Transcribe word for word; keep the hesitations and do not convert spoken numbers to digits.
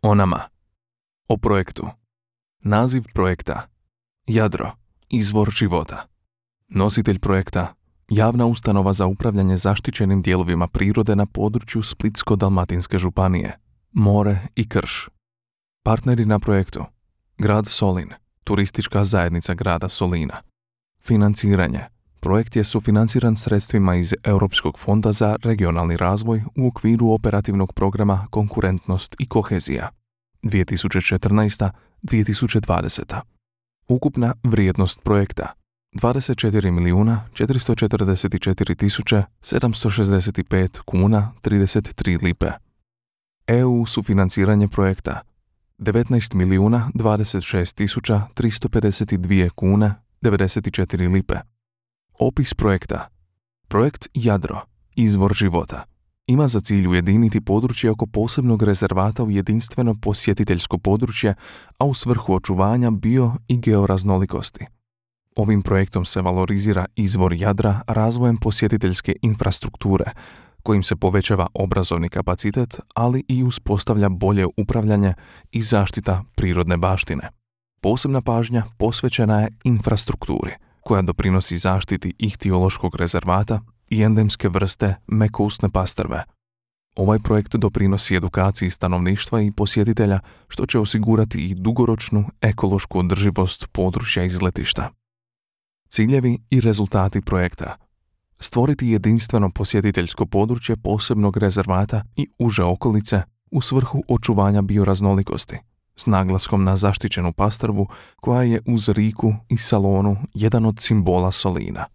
O nama. O projektu. Naziv projekta. Jadro. Izvor života. Nositelj projekta. Javna ustanova za upravljanje zaštićenim dijelovima prirode na području Splitsko-dalmatinske županije. More i krš. Partneri na projektu. Grad Solin. Turistička zajednica grada Solina. Financiranje. Projekt je sufinanciran sredstvima iz Europskog fonda za regionalni razvoj u okviru operativnog programa Konkurentnost i kohezija dvije tisuće četrnaesta do dvije tisuće dvadeseta. Ukupna vrijednost projekta dvadeset četiri milijuna četiristo četrdeset četiri tisuće sedamsto šezdeset pet kuna trideset tri lipe. E U sufinanciranje projekta devetnaest milijuna dvadeset šest tisuća tristo pedeset dvije kuna devedeset četiri lipe. Opis projekta. Projekt Jadro, izvor života, ima za cilj ujediniti područje oko posebnog rezervata u jedinstveno posjetiteljsko područje, a u svrhu očuvanja bio i georaznolikosti. Ovim projektom se valorizira izvor Jadra razvojem posjetiteljske infrastrukture, kojim se povećava obrazovni kapacitet, ali i uspostavlja bolje upravljanje i zaštita prirodne baštine. Posebna pažnja posvećena je infrastrukturi, koja doprinosi zaštiti ihtiološkog rezervata i endemske vrste mekousne pastrve. Ovaj projekt doprinosi edukaciji stanovništva i posjetitelja, što će osigurati i dugoročnu ekološku održivost područja izletišta. Ciljevi i rezultati projekta. Stvoriti jedinstveno posjetiteljsko područje posebnog rezervata i uže okolice u svrhu očuvanja bioraznolikosti, s naglaskom na zaštićenu pastrvu koja je uz riku i salonu jedan od simbola Solina.